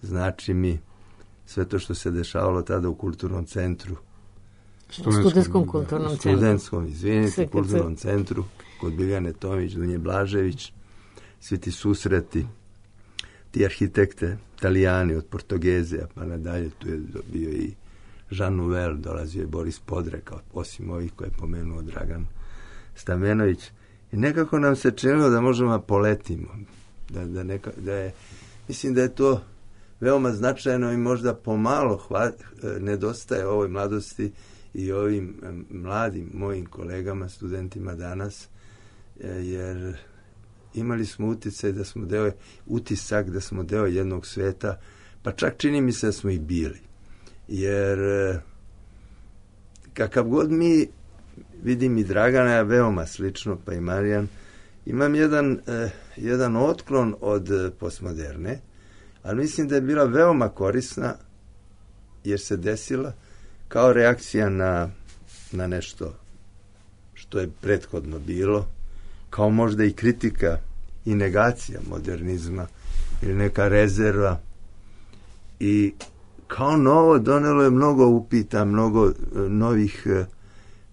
znači mi sve to što se dešavalo tada u kulturnom centru. U studentskom kulturnom centru. Studentskom, izvinite, kulturnom centru kod Biljane Tomić, Dunje Blažević, svi ti susreti, ti arhitekte, Italijani od Portugezija pa nadalje, tu je bio i Jean Nouvel, dolazio je Boris Podreka, osim ovih koje je pomenuo Dragan Stamenović. I nekako nam se činilo da možemo poletimo. Da, da, neka, da je, mislim da je to veoma značajno i možda pomalo hva, nedostaje ovoj mladosti i ovim mladim mojim kolegama, studentima danas, jer imali smo uticaj da smo deo, utisak da smo deo jednog sveta, pa čak čini mi se da smo i bili. Jer kakav god mi, vidim i Dragana, veoma slično, pa i Marijan, imam jedan, eh, jedan otklon od postmoderne, ali mislim da je bila veoma korisna jer se desila kao reakcija na, na nešto što je prethodno bilo, kao možda i kritika i negacija modernizma ili neka rezerva i kao novo donelo je mnogo upita, mnogo uh, novih, uh,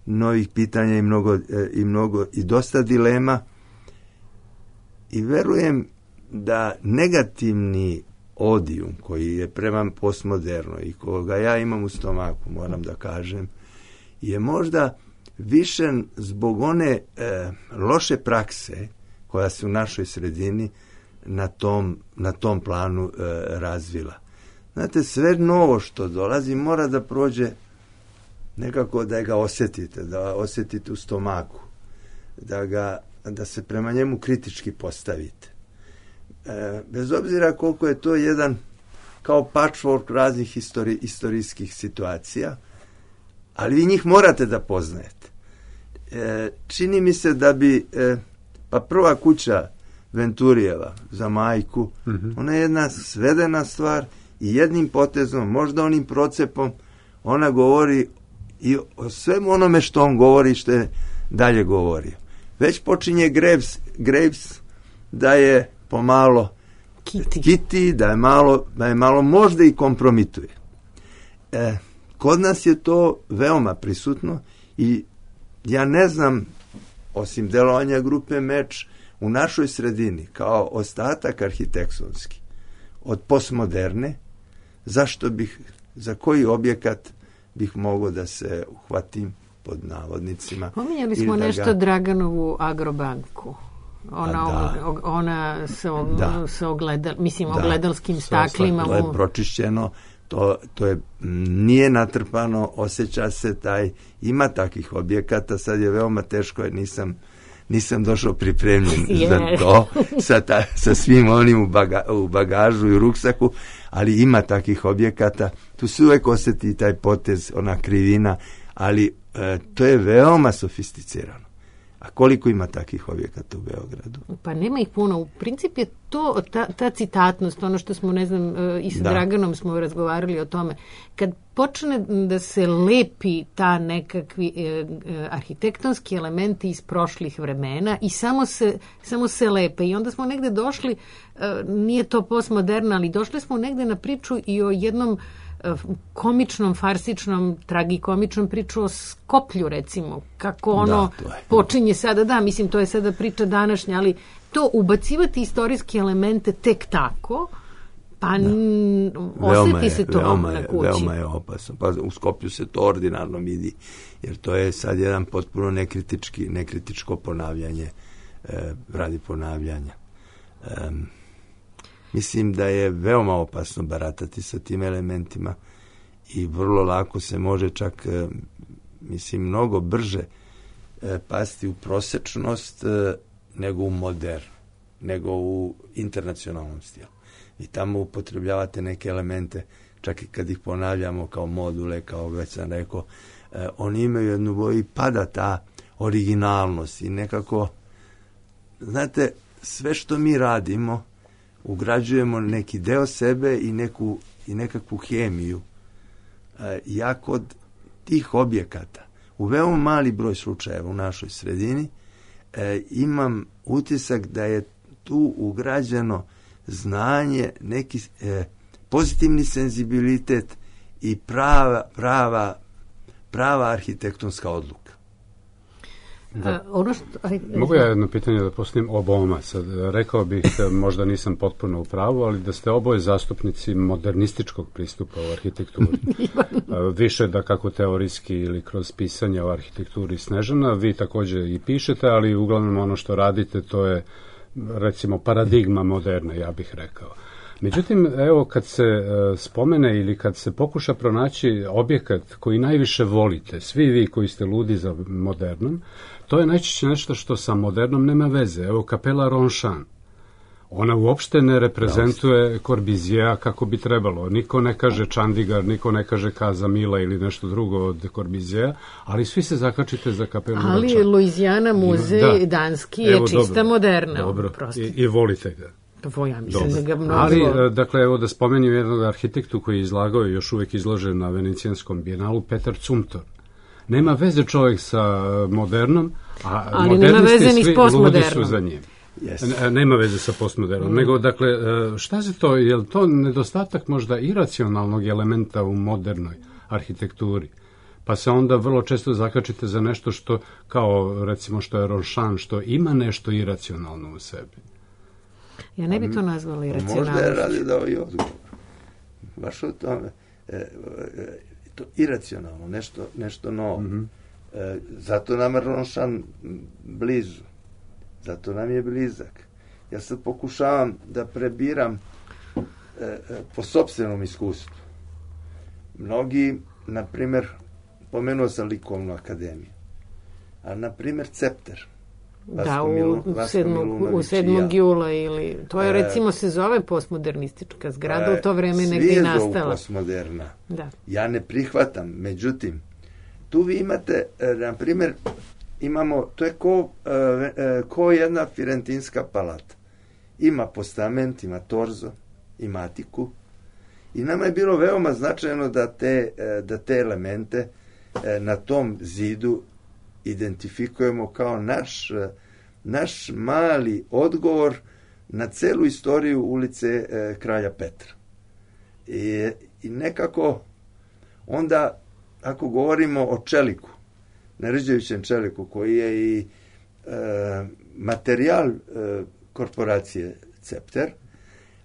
novih pitanja i mnogo, uh, i mnogo i dosta dilema i verujem da negativni odijum koji je prema postmodernoj i koga ja imam u stomaku, moram da kažem, je možda više zbog one uh, loše prakse koja se u našoj sredini na tom, na tom planu uh, razvila. Znate, sve novo što dolazi mora da prođe nekako da ga osjetite, da osjetite u stomaku, da, ga, da se prema njemu kritički postavite. E, bez obzira koliko je to jedan kao patchwork raznih histori, istorijskih situacija, ali vi njih morate da poznajete. E, čini mi se da bi, e, pa prva kuća Venturijeva za majku, mm-hmm. ona je jedna svedena stvar i jednim potezom, možda onim procepom, ona govori i o svemu onome što on govori, što je dalje govorio. Već počinje Graves, Graves da je pomalo Kitty, Kitty da je malo, da je malo možda i kompromituje. E, kod nas je to veoma prisutno i ja ne znam, osim delovanja grupe Meč, u našoj sredini, kao ostatak arhitektonski, od postmoderne, zašto bih, za koji objekat bih mogao da se uhvatim pod navodnicima. Pominjali smo nešto ga... Draganovu Agrobanku. Ona, da. ona sa, da. sa ogledal, mislim, da. ogledalskim staklima. To je pročišćeno, to, to je, nije natrpano, osjeća se taj, ima takvih objekata, sad je veoma teško, jer nisam nisam došao pripremljen yeah. za to, sa, ta, sa svim onim u, baga, u bagažu i u ruksaku, ali ima takih objekata, tu se uvek osjeti taj potez, ona krivina, ali e, to je veoma sofisticirano. A koliko ima takih objekata u Beogradu? Pa nema ih puno. U princip je to, ta, ta citatnost, ono što smo, ne znam, i sa da. Draganom smo razgovarali o tome. Kad počne da se lepi ta nekakvi eh, arhitektonski elementi iz prošlih vremena i samo se, samo se lepe. I onda smo negde došli, eh, nije to postmoderno, ali došli smo negde na priču i o jednom komičnom, farsičnom, tragikomičnom priču o Skoplju, recimo, kako ono da, počinje sada, da, mislim, to je sada priča današnja, ali to ubacivati istorijske elemente tek tako, pa n- osjeti se to veoma na je, kući. veoma je opasno. Pa u Skopju se to ordinarno vidi, jer to je sad jedan potpuno nekritički, nekritičko ponavljanje, e, radi ponavljanja. E, mislim da je veoma opasno baratati sa tim elementima i vrlo lako se može čak, e, mislim, mnogo brže e, pasti u prosečnost e, nego u modern, nego u internacionalnom stilu. I tamo upotrebljavate neke elemente, čak i kad ih ponavljamo kao module, kao već sam rekao, eh, oni imaju jednu boju i pada ta originalnost i nekako, znate, sve što mi radimo, ugrađujemo neki deo sebe i, neku, i nekakvu hemiju. Eh, ja kod tih objekata, u veoma mali broj slučajeva u našoj sredini, eh, imam utisak da je tu ugrađeno znanje, neki e, pozitivni senzibilitet i prava, prava, prava arhitektonska odluka. A, ono što, aj, Mogu ja jedno pitanje da postavim oboma? Sad, rekao bih, možda nisam potpuno u pravu, ali da ste oboje zastupnici modernističkog pristupa u arhitekturi. Više da kako teorijski ili kroz pisanje o arhitekturi Snežana, vi također i pišete, ali uglavnom ono što radite to je recimo paradigma moderne, ja bih rekao. Međutim, evo kad se e, spomene ili kad se pokuša pronaći objekat koji najviše volite, svi vi koji ste ludi za modernom, to je najčešće nešto što sa modernom nema veze. Evo kapela Ronchamp. Ona uopšte ne reprezentuje Corbusiera kako bi trebalo. Niko ne kaže Chandigarh, niko ne kaže Casa Mila ili nešto drugo od Corbusiera, ali svi se zakačite za kapelu Ronchamp. Ali Louisiana muzej da. danski je evo, čista dobro, moderna. Dobro, I, i volite ga. To ja mislim da ga mnogo... Ali, dakle, evo da spomenim jednog arhitektu koji je izlagao i još uvijek izložen na Venecijanskom bijenalu, Petar Zumthor. Nema veze čovjek sa modernom, a ali modernisti svi ludi su za njim. Yes. Nema veze sa postmodernom. Mm. Nego, dakle, šta se to, je li to nedostatak možda iracionalnog elementa u modernoj arhitekturi? Pa se onda vrlo često zakačite za nešto što, kao recimo što je Ronchamp, što ima nešto iracionalno u sebi. Ja ne bi to nazvala iracionalno. Možda je radi da ovaj odgovor. Baš o tome. E, e, to iracionalno, nešto, nešto novo. Mm-hmm. E, zato nam je Ronchamp blizu. Zato nam je blizak. Ja sad pokušavam da prebiram e, e, po sopstvenom iskustvu. Mnogi, na primjer, pomenuo sam likovnu akademiju, a na primjer Cepter. Da, u sedmog jula ili, to je recimo se zove postmodernistička zgrada, u to vreme negdje i nastala. Svi je postmoderna. Da. Ja ne prihvatam, međutim, tu vi imate, na primjer, imamo, to je ko, ko jedna firentinska palata. Ima postament, ima torzo, ima atiku i nama je bilo veoma značajno da te, da te elemente na tom zidu identifikujemo kao naš, naš mali odgovor na celu istoriju ulice e, Kralja Petra. I, I nekako onda, ako govorimo o čeliku, nerđevićem čeliku, koji je i e, materijal e, korporacije Cepter,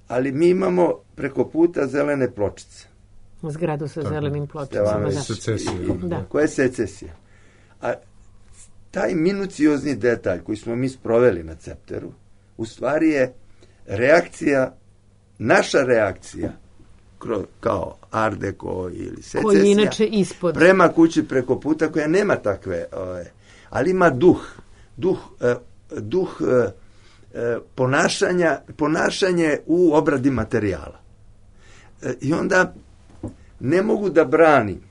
ali mi imamo preko puta zelene pločice. Zgradu sa zelenim pločicama. Da. Koja je secesija? A taj minuciozni detalj koji smo mi sproveli na Cepteru, u stvari je reakcija, naša reakcija, kao Art Deco ili secesija, inače ispod. Prema kući preko puta, koja nema takve, ove, ali ima duh, duh, eh, duh eh, ponašanja, ponašanje u obradi materijala. Eh, I onda ne mogu da branim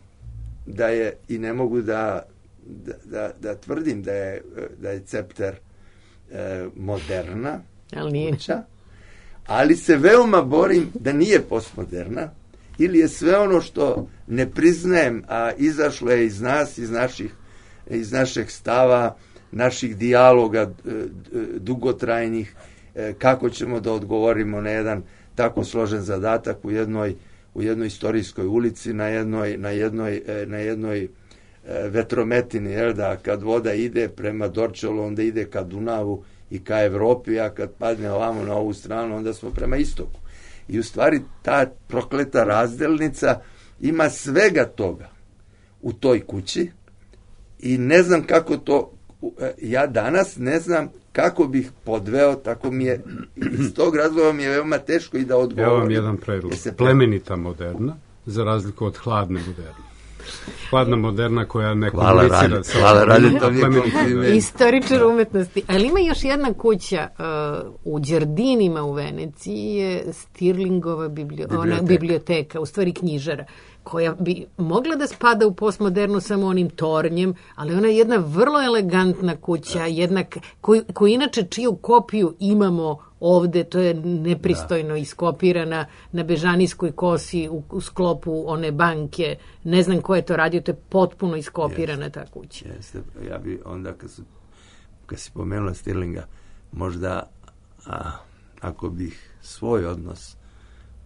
da je, i ne mogu da Da, da, da tvrdim da je, da je Cepter e, moderna ali, kuća, ali se veoma borim da nije postmoderna ili je sve ono što ne priznajem, a izašlo je iz nas, iz naših, iz našeg stava, naših dijaloga dugotrajnih, e, kako ćemo da odgovorimo na jedan tako složen zadatak u jednoj, u jednoj istorijskoj ulici, na jednoj, na jednoj, na jednoj vetrometini, jel da, kad voda ide prema Dorčolu, onda ide ka Dunavu i ka Evropi, a kad padne ovamo na ovu stranu, onda smo prema istoku. I u stvari ta prokleta razdelnica ima svega toga u toj kući i ne znam kako to, ja danas ne znam kako bih podveo, tako mi je, iz tog razloga mi je veoma teško i da odgovorim. Evo vam jedan predlog. Plemenita moderna, za razliku od hladne moderne. Hladna moderna koja ne komunicira sa... Hvala, radi to mi je kompliment. Istoričar umetnosti. Ali ima još jedna kuća uh, u Đerdinima u Veneciji, je Stirlingova biblio, biblioteka. Ona, biblioteka, u stvari knjižara, koja bi mogla da spada u postmodernu samo onim tornjem, ali ona je jedna vrlo elegantna kuća, jedna koju, koju inače čiju kopiju imamo ovde, to je nepristojno da. Iskopirana na Bežanijskoj kosi u, u sklopu one banke. Ne znam ko je to radio, to je potpuno iskopirana jeste, ta kuća. Jeste. Ja bi onda, kad, su, kad si pomenula Stirlinga, možda a, ako bih svoj odnos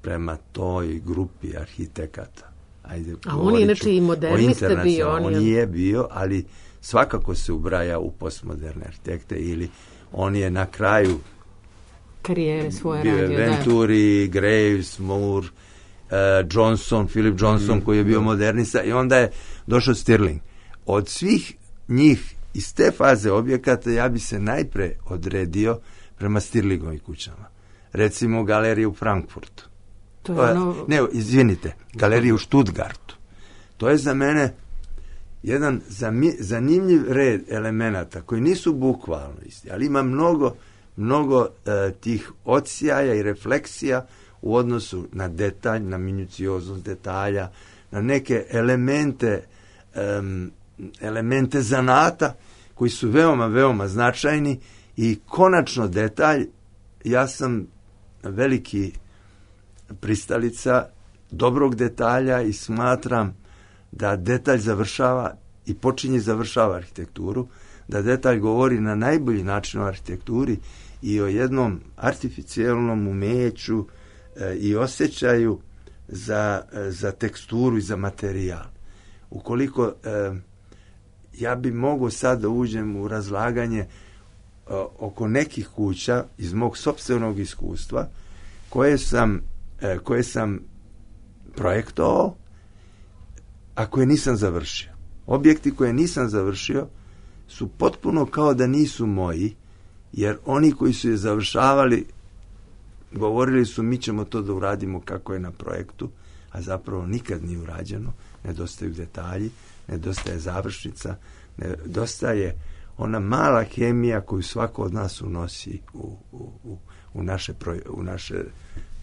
prema toj grupi arhitekata, ajde, a on je inače i modernista bio. On, on je bio, ali svakako se ubraja u postmoderne arhitekte ili on je na kraju karijere svoje bio radio. Venturi, da. Graves, Moore, uh, Johnson, Philip Johnson mm, koji je bio da. modernista i onda je došao Stirling. Od svih njih iz te faze objekata ja bi se najpre odredio prema Stirlingovim kućama. Recimo galeriju u Frankfurtu. To je ono... Ne, izvinite, galeriju u Stuttgartu. To je za mene jedan zanimljiv red elemenata koji nisu bukvalno isti, ali ima mnogo mnogo e, tih odsjaja i refleksija u odnosu na detalj, na minucioznost detalja, na neke elemente um, elemente zanata koji su veoma, veoma značajni i konačno detalj, ja sam veliki pristalica dobrog detalja i smatram da detalj završava i počinje i završava arhitekturu, da detalj govori na najbolji način o arhitekturi i o jednom artificijelnom umeću e, i osjećaju za, e, za teksturu i za materijal. Ukoliko e, ja bi mogao sad da uđem u razlaganje e, oko nekih kuća iz mog sopstvenog iskustva koje sam, e, koje sam projektovao, a koje nisam završio. Objekti koje nisam završio su potpuno kao da nisu moji, jer oni koji su je završavali govorili su mi ćemo to da uradimo kako je na projektu, a zapravo nikad nije urađeno, nedostaju detalji, nedostaje završnica, nedostaje ona mala hemija koju svako od nas unosi u, u, u, u, naše, u naše,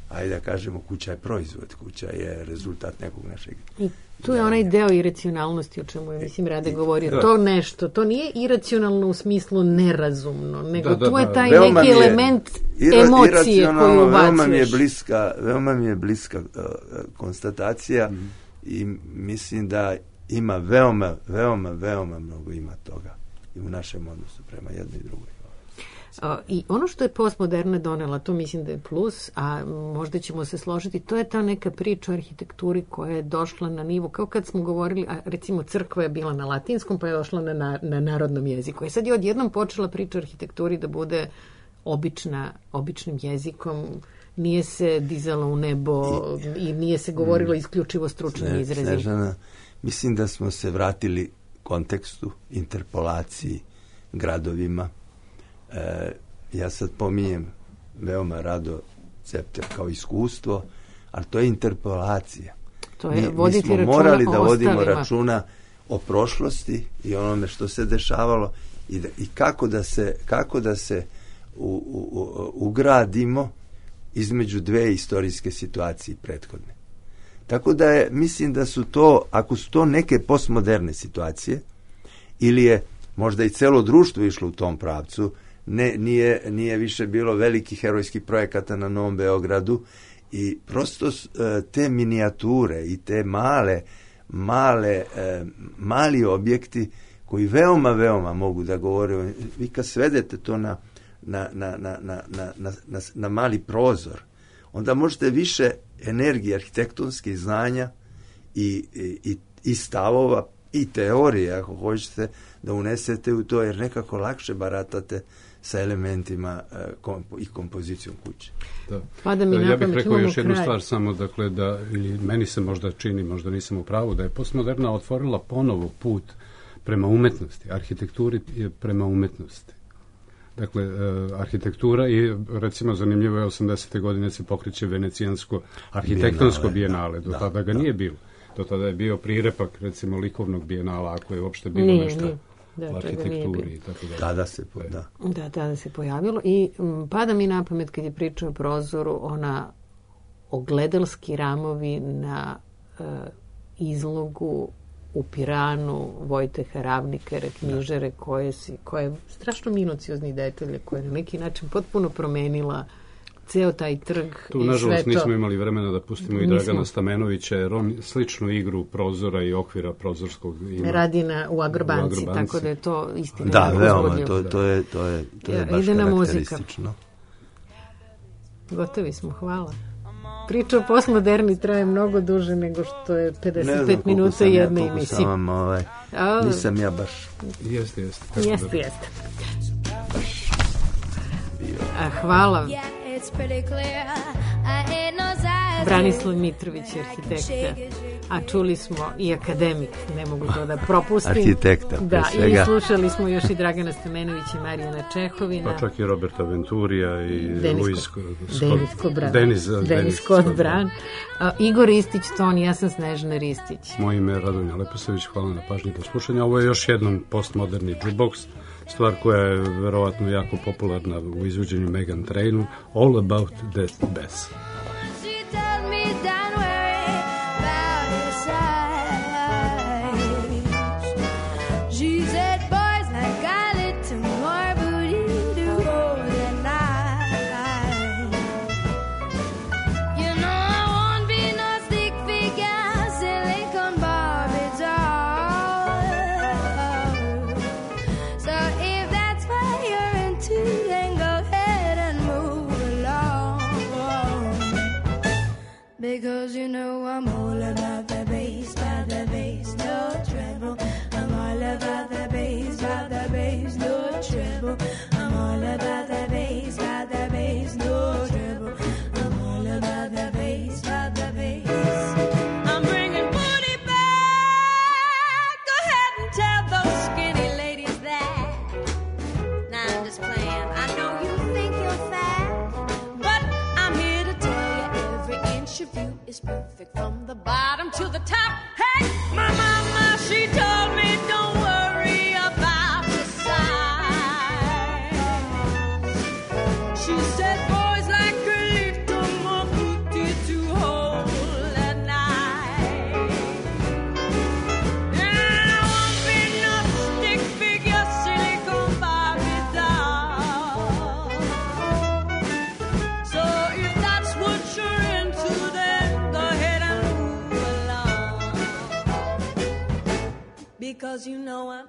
ajde da kažemo, kuća je proizvod, kuća je rezultat nekog našeg... I tu je onaj deo iracionalnosti o čemu je, mislim, Rade govorio. Da. To nešto, to nije iracionalno u smislu nerazumno, nego da, da, tu je taj da. neki je, element ira, emocije koju ubacuješ. Veoma mi je bliska, veoma mi je bliska uh, konstatacija mm. i mislim da ima veoma, veoma, veoma mnogo ima toga i u našem odnosu prema jednoj i drugoj. Uh, I ono što je postmoderna donela, to mislim da je plus, a možda ćemo se složiti, to je ta neka priča o arhitekturi koja je došla na nivo, kao kad smo govorili, a recimo crkva je bila na latinskom, pa je došla na, na, na narodnom jeziku. I sad je odjednom počela priča o arhitekturi da bude obična, običnim jezikom, nije se dizalo u nebo i, i nije se govorilo mm, isključivo stručnim ne, izrazima. Snežana, mislim da smo se vratili kontekstu, interpolaciji, gradovima. E, ja sad pominjem veoma rado Cepter kao iskustvo, ali to je interpolacija. To je mi, mi smo morali da vodimo računa o prošlosti i onome što se dešavalo i, da, i kako da se, kako da se u, u, u, ugradimo između dve istorijske situacije prethodne. Tako da je, mislim da su to, ako su to neke postmoderne situacije, ili je možda i celo društvo išlo u tom pravcu, ne, nije, nije više bilo velikih herojskih projekata na Novom Beogradu i prosto te minijature i te male, male, mali objekti koji veoma, veoma mogu da govore, vi kad svedete to na, na, na, na, na, na, na, na mali prozor, onda možete više energije arhitektonskih znanja i, i, i stavova i teorije, ako hoćete, da unesete u to, jer nekako lakše baratate sa elementima uh, kompo, i kompozicijom kuće. Da. Pa da mi ja bih rekao još jednu kraj. stvar samo, dakle, da, ili meni se možda čini, možda nisam u pravu, da je postmoderna otvorila ponovo put prema umetnosti, arhitekturi je prema umetnosti. Dakle, e, arhitektura i, recimo, zanimljivo je, osamdesete godine se pokreće venecijansko arhitektonsko bijenale, do da, tada ga da. nije bilo. Do tada je bio prirepak, recimo, likovnog bijenala, ako je uopšte bilo nije, nešto nije. Da, u arhitekturi i tako da. Tada se, da. Da, tada se pojavilo i m, pada mi na pamet kad je pričao o prozoru, ona ogledalski ramovi na e, izlogu u Piranu Vojteha Ravnikara, knjižare koje si, koje strašno minuciozni detalje, koje na neki način potpuno promenila ceo taj trg. Tu, nažalost, nismo imali vremena da pustimo i Dragana Stamenovića, jer on sličnu igru prozora i okvira prozorskog ima. Radi na, u Agrobanci, u Agrobanci, tako da je to istina. Da, veoma, to, to je, to je, to je ja, baš karakteristično. Gotovi smo, hvala. Priča o postmoderni traje mnogo duže nego što je pedeset pet minuta jedne ja, emisije. Sam vam, ovaj, nisam ja baš... Jeste, jeste. Jeste, jeste. A, hvala. Branislav Mitrović, arhitekta, a čuli smo i akademik, ne mogu to da propustim. Arhitekta, pre da, svega. I slušali smo još i Dragana Stamenovića i Marijana Čehovina. Pa čak i Roberta Venturija i Luis Scott. Denis Kobran. Denis, Denis Scott Bran. Uh, Igor Ristić, ton, ja sam Snežana Ristić. Moje ime je Radonja Leposević, hvala na pažnji po slušanju. Ovo je još jednom postmoderni jukebox, stvar koja je verovatno jako popularna u izvođenju Megan Trainu, All About That Bass. Because you know I'm all about the bass, about the bass, no treble. I'm all about the bass, about the bass, no treble. I'm all about the bass, about the bass, no treble. I'm all about the bass, about the bass. I'm bringing booty back. Go ahead and tell those skinny ladies that. Now I'm just playing. I know you think you're fat, but I'm here to tell you every inch of you is perfect from the bottom to the top. Hey, my mama, she told me don't worry about your size. She said boys like a little more booty to hold at night. And I won't be no stick figure silicone Barbie doll. So if that's what you're into, then because you know I'm